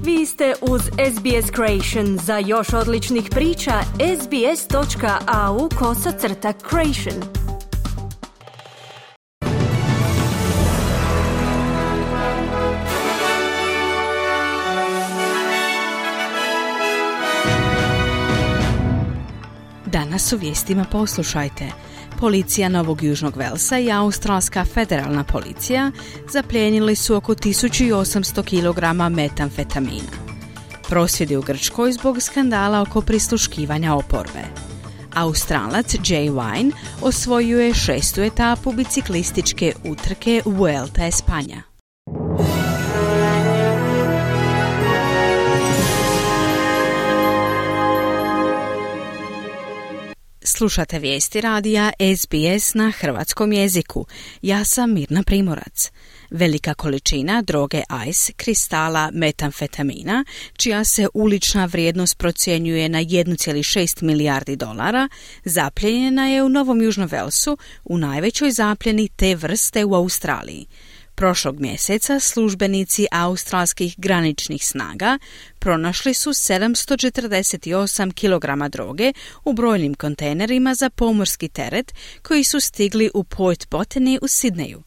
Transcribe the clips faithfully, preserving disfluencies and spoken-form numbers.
Vi ste uz S B S Creation. Za još odličnih priča, sbs.au kosacrta creation. Danas u vijestima poslušajte. Policija Novog Južnog Velsa i Australska federalna policija zaplijenili su oko tisuću osamsto kilograma metamfetamina. Prosvjedi u Grčkoj zbog skandala oko prisluškivanja oporbe. Australac Jay Vine osvojio je šestu etapu biciklističke utrke Vuelta Espanja. Slušate vijesti radija S B S na hrvatskom jeziku. Ja sam Mirna Primorac. Velika količina droge ice, kristala metamfetamina, čija se ulična vrijednost procjenjuje na jedan zarez šest milijardi dolara, zaplijenjena je u Novom Južnom Velsu, u najvećoj zapljeni te vrste u Australiji. Prošlog mjeseca službenici australskih graničnih snaga pronašli su sedamsto četrdeset osam kilograma droge u brojnim kontejnerima za pomorski teret koji su stigli u Port Botany u Sidneju.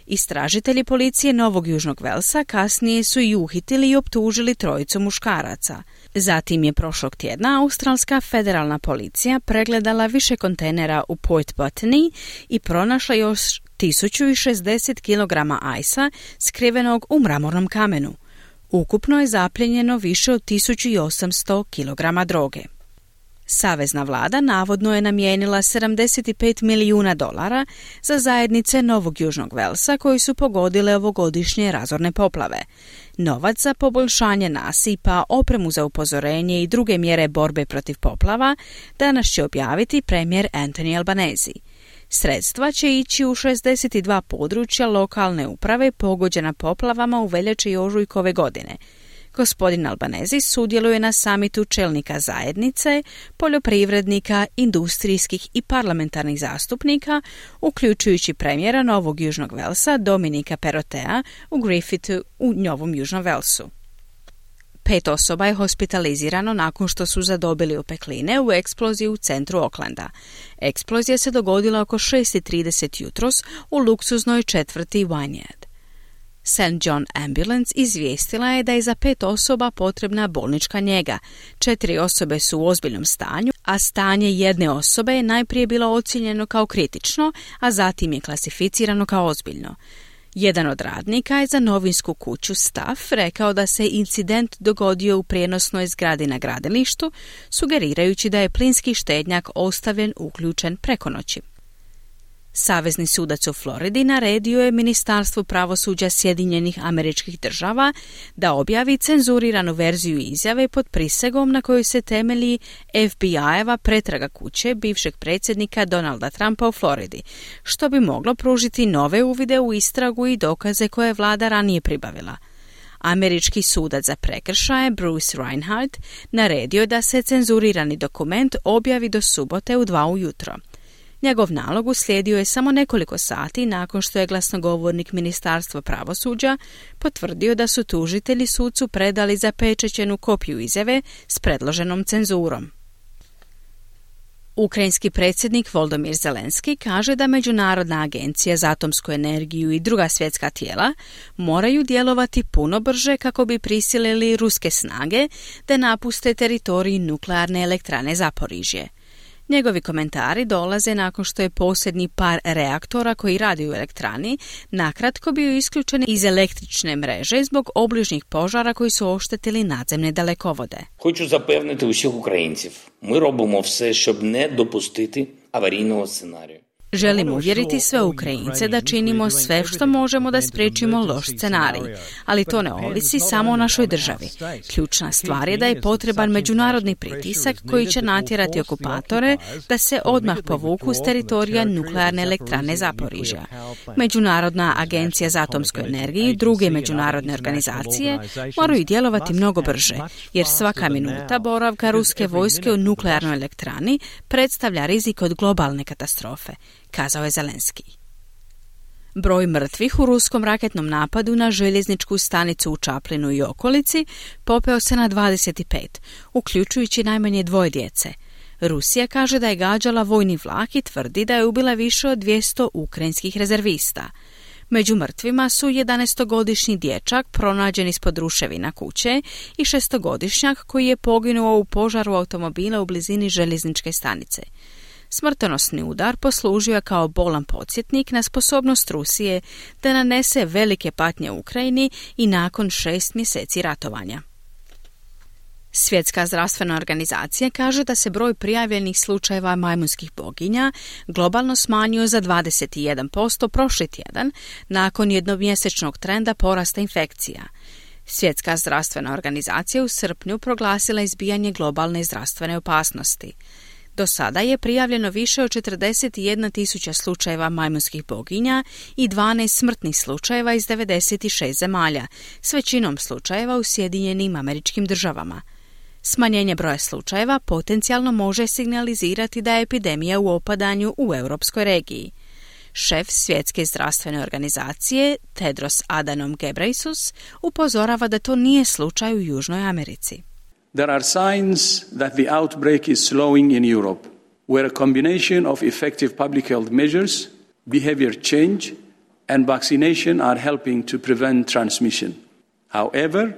Istražitelji policije Novog Južnog Velsa kasnije su i uhitili i optužili trojicu muškaraca. Zatim je prošlog tjedna Australska federalna policija pregledala više kontejnera u Port Botany i pronašla još tisuću šezdeset kilograma ajsa skrivenog u mramornom kamenu. Ukupno je zaplijenjeno više od tisuću osamsto kilograma droge. Savezna vlada navodno je namijenila sedamdeset pet milijuna dolara za zajednice Novog Južnog Velsa koji su pogodile ovogodišnje razorne poplave. Novac za poboljšanje nasipa, opremu za upozorenje i druge mjere borbe protiv poplava danas će objaviti premijer Anthony Albanese. Sredstva će ići u šezdeset dva područja lokalne uprave pogođena poplavama u veljači i ožujku ove godine. Gospodin Albanese sudjeluje na samitu čelnika zajednice, poljoprivrednika, industrijskih i parlamentarnih zastupnika, uključujući premijera Novog Južnog Velsa Dominika Perrottea u Griffithu u Novom Južnom Velsu. Pet osoba je hospitalizirano nakon što su zadobili opekline u eksploziji u centru Aucklanda. Eksplozija se dogodila oko šest i trideset jutros u luksuznoj četvrti Wynyard. Saint John Ambulance izvijestila je da je za pet osoba potrebna bolnička njega. Četiri osobe su u ozbiljnom stanju, a stanje jedne osobe je najprije bilo ocijenjeno kao kritično, a zatim je klasificirano kao ozbiljno. Jedan od radnika je za novinsku kuću Staff rekao da se incident dogodio u prijenosnoj zgradi na gradilištu, sugerirajući da je plinski štednjak ostavljen uključen preko noći. Savezni sudac u Floridi naredio je Ministarstvu pravosuđa Sjedinjenih Američkih Država da objavi cenzuriranu verziju izjave pod prisegom na kojoj se temelji F B I-eva pretraga kuće bivšeg predsjednika Donalda Trumpa u Floridi, što bi moglo pružiti nove uvide u istragu i dokaze koje je vlada ranije pribavila. Američki sudac za prekršaje Bruce Reinhardt naredio da se cenzurirani dokument objavi do subote u dva ujutro. Njegov nalog uslijedio je samo nekoliko sati nakon što je glasnogovornik Ministarstva pravosuđa potvrdio da su tužitelji sucu predali zapečaćenu kopiju izjave s predloženom cenzurom. Ukrajinski predsjednik Volodymyr Zelenski kaže da Međunarodna agencija za atomsku energiju i druga svjetska tijela moraju djelovati puno brže kako bi prisilili ruske snage da napuste teritorij nuklearne elektrane Zaporižje. Njegovi komentari dolaze nakon što je posljednji par reaktora koji radi u elektrani nakratko bio isključen iz električne mreže zbog obližnjih požara koji su oštetili nadzemne dalekovode. Хочу запевнити усіх українців. Ми робимо все, щоб не допустити аварійного сценарію. Želim uvjeriti sve Ukrajince da činimo sve što možemo da spriječimo loš scenarij, ali to ne ovisi samo o našoj državi. Ključna stvar je da je potreban međunarodni pritisak koji će natjerati okupatore da se odmah povuku s teritorija nuklearne elektrane Zaporižja. Međunarodna agencija za atomsku energiju i druge međunarodne organizacije moraju djelovati mnogo brže, jer svaka minuta boravka ruske vojske u nuklearnoj elektrani predstavlja rizik od globalne katastrofe, kazao je Zelenski. Broj mrtvih u ruskom raketnom napadu na željezničku stanicu u Čaplinu i okolici popeo se na dvadeset pet, uključujući najmanje dvoje djece. Rusija kaže da je gađala vojni vlak i tvrdi da je ubila više od dvjesto ukrajinskih rezervista. Među mrtvima su jedanaestogodišnji dječak pronađen ispod ruševina kuće i šestogodišnjak koji je poginuo u požaru automobila u blizini željezničke stanice. Smrtonosni udar poslužio je kao bolan podsjetnik na sposobnost Rusije da nanese velike patnje Ukrajini i nakon šest mjeseci ratovanja. Svjetska zdravstvena organizacija kaže da se broj prijavljenih slučajeva majmunskih boginja globalno smanjio za dvadeset jedan posto prošli tjedan nakon jednomjesečnog trenda porasta infekcija. Svjetska zdravstvena organizacija u srpnju proglasila izbijanje globalne zdravstvene opasnosti. Do sada je prijavljeno više od četrdeset jedna tisuća slučajeva majmunskih boginja i dvanaest smrtnih slučajeva iz devedeset šest zemalja, s većinom slučajeva u Sjedinjenim Američkim Državama. Smanjenje broja slučajeva potencijalno može signalizirati da je epidemija u opadanju u europskoj regiji. Šef Svjetske zdravstvene organizacije Tedros Adhanom Ghebreyesus upozorava da to nije slučaj u Južnoj Americi. There are signs that the outbreak is slowing in Europe, where a combination of effective public health measures, behavior change, and vaccination are helping to prevent transmission. However,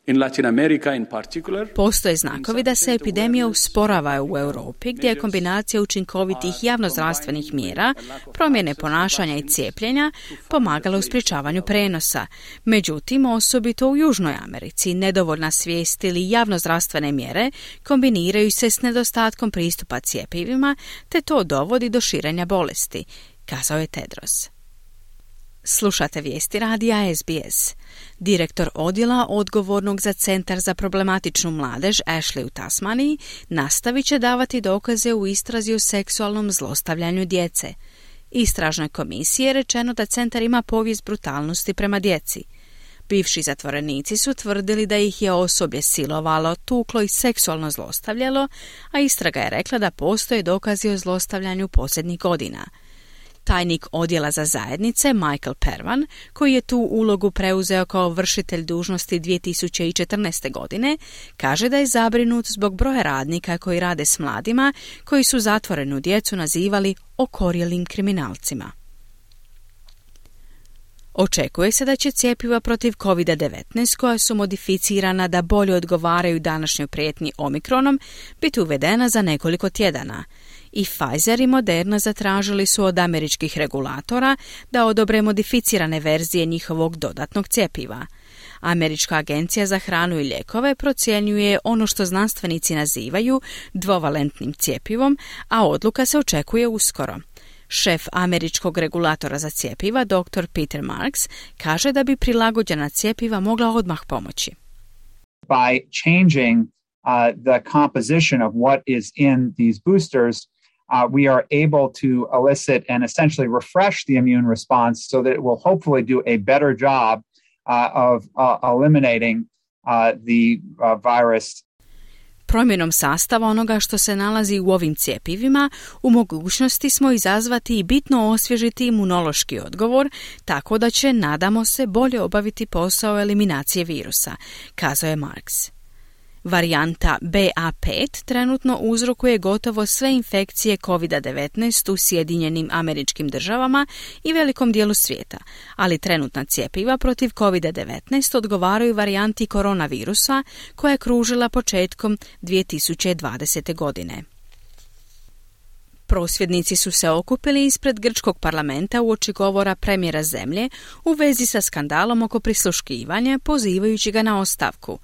in Latin America in particular, postoje znakovi da se epidemija usporava u Europi, gdje je kombinacija učinkovitih javnozdravstvenih mjera, promjene ponašanja i cijepljenja pomagala u sprječavanju prenosa. Međutim, osobito u Južnoj Americi, nedovoljna svijest ili javnozdravstvene mjere kombiniraju se s nedostatkom pristupa cjepivima, te to dovodi do širenja bolesti, kazao je Tedros. Slušate vijesti radija S B S. Direktor odjela odgovornog za Centar za problematičnu mladež Ashley u Tasmaniji nastavit će davati dokaze u istrazi o seksualnom zlostavljanju djece. Istražnoj komisiji je rečeno da centar ima povijest brutalnosti prema djeci. Bivši zatvorenici su tvrdili da ih je osoblje silovalo, tuklo i seksualno zlostavljalo, a istraga je rekla da postoje dokazi o zlostavljanju posljednjih godina. Tajnik odjela za zajednice Michael Pervan, koji je tu ulogu preuzeo kao vršitelj dužnosti dvije tisuće četrnaeste. godine, kaže da je zabrinut zbog broja radnika koji rade s mladima, koji su zatvorenu djecu nazivali okorjelim kriminalcima. Očekuje se da će cjepiva protiv kovid devetnaest, koja su modificirana da bolje odgovaraju današnjoj prijetnji omikronom, biti uvedena za nekoliko tjedana. I Pfizer i Moderna zatražili su od američkih regulatora da odobre modificirane verzije njihovog dodatnog cjepiva. Američka agencija za hranu i lijekove procjenjuje ono što znanstvenici nazivaju dvovalentnim cjepivom, a odluka se očekuje uskoro. Šef američkog regulatora za cjepiva, doktor Peter Marks, kaže da bi prilagođena cjepiva mogla odmah pomoći. By changing uh, the composition of what is in these boosters, uh, we are able to elicit and essentially refresh the immune response so that it will hopefully do a better job uh, of uh, eliminating uh, the uh, virus. Promjenom sastava onoga što se nalazi u ovim cjepivima, u mogućnosti smo izazvati i bitno osvježiti imunološki odgovor, tako da će, nadamo se, bolje obaviti posao eliminacije virusa, kazao je Marks. Varijanta B A pet trenutno uzrokuje gotovo sve infekcije kovid devetnaest u Sjedinjenim Američkim Državama i velikom dijelu svijeta, ali trenutna cjepiva protiv kovid devetnaest odgovaraju varijanti koronavirusa koja je kružila početkom dvije tisuće dvadesete. godine. Prosvjednici su se okupili ispred grčkog parlamenta uoči govora premijera zemlje u vezi sa skandalom oko prisluškivanja, pozivajući ga na ostavku.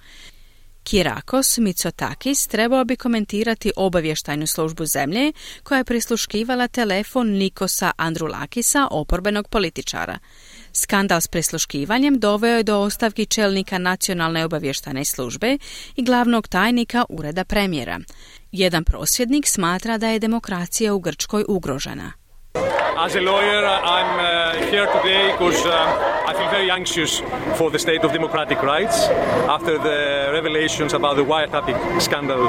Kyriakos Mitsotakis trebao bi komentirati obavještajnu službu zemlje koja je prisluškivala telefon Nikosa Androulakisa, oporbenog političara. Skandal s prisluškivanjem doveo je do ostavki čelnika nacionalne obavještajne službe i glavnog tajnika ureda premijera. Jedan prosvjednik smatra da je demokracija u Grčkoj ugrožena. as a lawyer, I'm uh, here today because um, I feel very anxious for the state of democratic rights after the revelations about the wiretapping scandal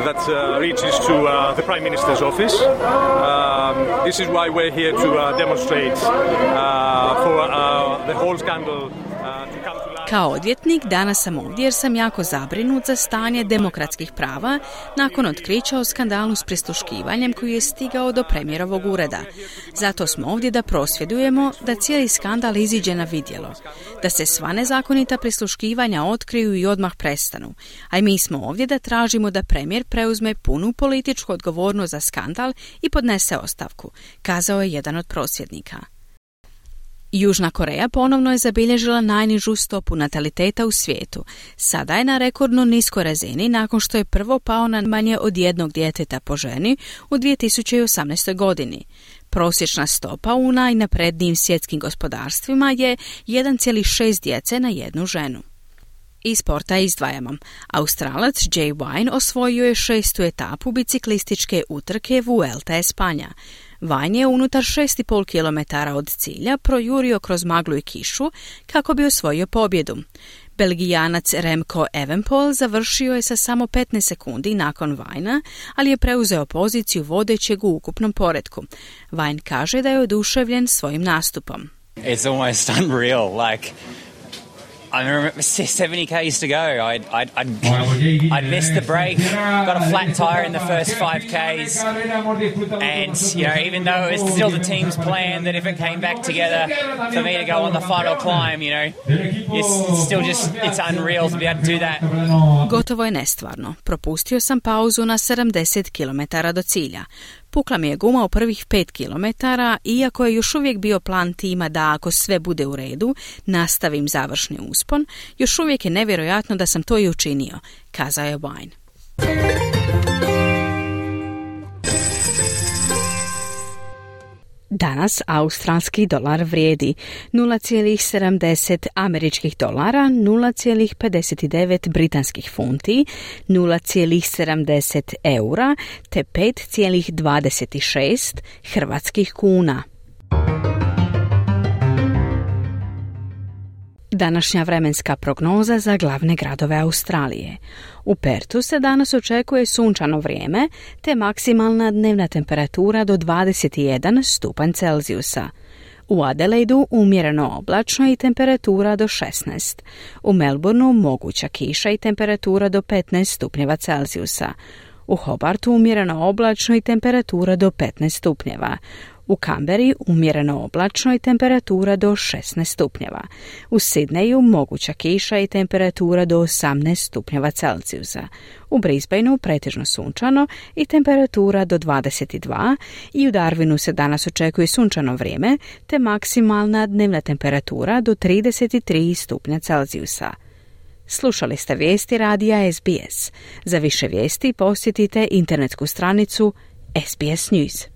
that uh, reaches to uh, the Prime Minister's office. Um, this is why we're here to uh, demonstrate uh, for uh, the whole scandal uh, to come to light. Kao odvjetnik danas sam ovdje jer sam jako zabrinut za stanje demokratskih prava nakon otkrića o skandalu s prisluškivanjem koji je stigao do premijerovog ureda. Zato smo ovdje da prosvjedujemo da cijeli skandal iziđe na vidjelo, da se sva nezakonita prisluškivanja otkriju i odmah prestanu. A i mi smo ovdje da tražimo da premijer preuzme punu političku odgovornost za skandal i podnese ostavku, kazao je jedan od prosvjednika. Južna Koreja ponovno je zabilježila najnižu stopu nataliteta u svijetu. Sada je na rekordno niskoj razini nakon što je prvo pao na manje od jednog djeteta po ženi u dvije tisuće osamnaestoj godini. Prosječna stopa u najnaprednijim svjetskim gospodarstvima je jedan zarez šest djece na jednu ženu. Iz sporta izdvajamo. Australac Jay Vine osvojio je šestu etapu biciklističke utrke Vuelta Espanja. Vine je unutar šest i pol kilometara od cilja projurio kroz maglu i kišu kako bi osvojio pobjedu. Belgijanac Remco Evenepoel završio je sa samo petnaest sekundi nakon Vinea, ali je preuzeo poziciju vodećeg u ukupnom poretku. Vine kaže da je oduševljen svojim nastupom. It's almost unreal, like I remember seventy kays to go. I'd, I'd, I'd, I'd missed the break, got a flat tire in the first five kays, and you know, even though it was still the team's plan that if it came back together for me to go on the final climb, you know, it's, it's still just, it's unreal to be able to do that. Gotovo je nestvarno. Propustio sam pauzu na sedamdeset kilometara do cilja. Pukla mi je guma u prvih pet kilometara, iako je još uvijek bio plan tima da ako sve bude u redu, nastavim završni uspon, još uvijek je nevjerojatno da sam to i učinio, kazao je Vine. Danas australski dolar vrijedi nula zarez sedamdeset američkih dolara, nula zarez pedeset devet britanskih funti, nula zarez sedamdeset eura te pet zarez dvadeset šest hrvatskih kuna. Današnja vremenska prognoza za glavne gradove Australije. U Pertu se danas očekuje sunčano vrijeme te maksimalna dnevna temperatura do dvadeset jedan stupanj Celzijusa. U Adelaidu umjereno oblačno i temperatura do šesnaest. U Melbourneu moguća kiša i temperatura do petnaest stupnjeva Celzijusa. U Hobartu umjereno oblačno i temperatura do petnaest stupnjeva. U Kamberi umjereno oblačno i temperatura do šesnaest stupnjeva. U Sidneju moguća kiša i temperatura do osamnaest stupnjeva Celzijusa. U Brisbaneu pretežno sunčano i temperatura do dvadeset dva i u Darwinu se danas očekuje sunčano vrijeme te maksimalna dnevna temperatura do trideset tri stupnja Celzijusa. Slušali ste vijesti radija S B S. Za više vijesti posjetite internetsku stranicu S B S News.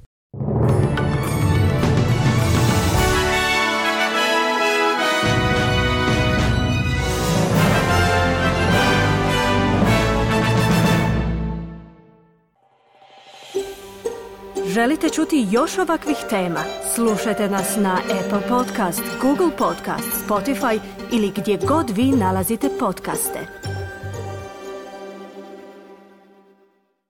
Želite čuti još ovakvih tema? Slušajte nas na Apple Podcast, Google Podcast, Spotify ili gdje god vi nalazite podcaste.